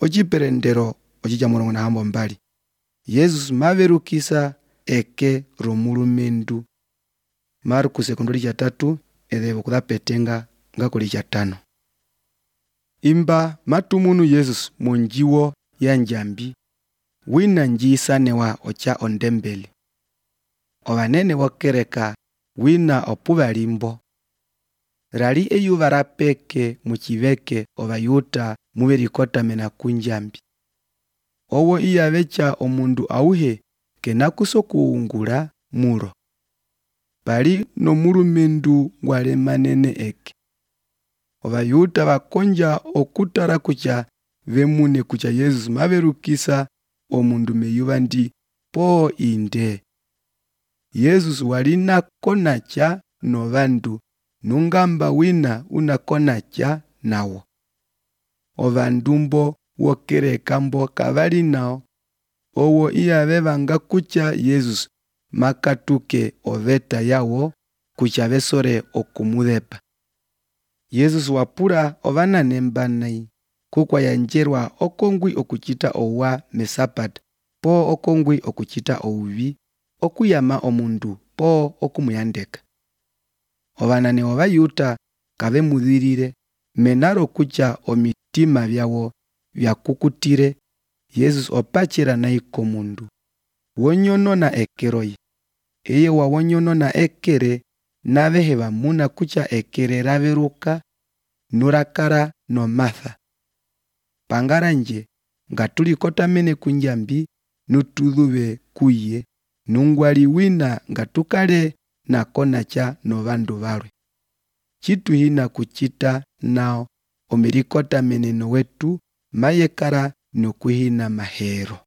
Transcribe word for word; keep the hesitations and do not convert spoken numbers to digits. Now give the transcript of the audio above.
ociperendero ocija mulongo na hambo mbali. Yesus maverukisa eke romulumendu. Marku sekondoli ja tatu edhevo kudhapetenga ngakuli ja tano. Imba matumunu Yesus monjiwo ya njambi. Wina njisanewa ocha ondembeli. Ovanene wokereka wina opuva limbo. Rali eyuva rapeke muchiveke ovayuta muverikota mena kunjambi. Owo iya vecha omundu auhe kenakuso kuungula mulo. Pali no mulumendu ngwale manene eke. Ovayuta vakonja okutara kucha vemune kucha Yesus maverukisa omundu meyuva ndi po inde. Yesus walina konacha no vandu nungamba wina una konacha nawo. Ovandumbo wokereka mbo kavali nao. Owo iya vevanga kucha Yesus makatuke oveta yawo kucha vesore okumudepa. Yesus wapura ovana nembanai kukwa yanjerwa okongwi okuchita owa mesapata po okongwi okuchita ouvi okuyama omundu po okumuyandeka. Ovanane ovayuta kave mudhirire menaro kucha omitima vyawo vyakukutire. Yesus opachira naiko mundu wonyonona ekeroi. Eye wa wonyonona ekere navehe vamuna kucha ekere raveruka nurakara no Martha. Pangaranje ngatuli kota mene kunjambi nutudhuve kuye nungwali wina ngatukale na konacha no vandu valwe. Chitu hina kuchita nao omirikota meneno wetu mayekara nukuhina mahero.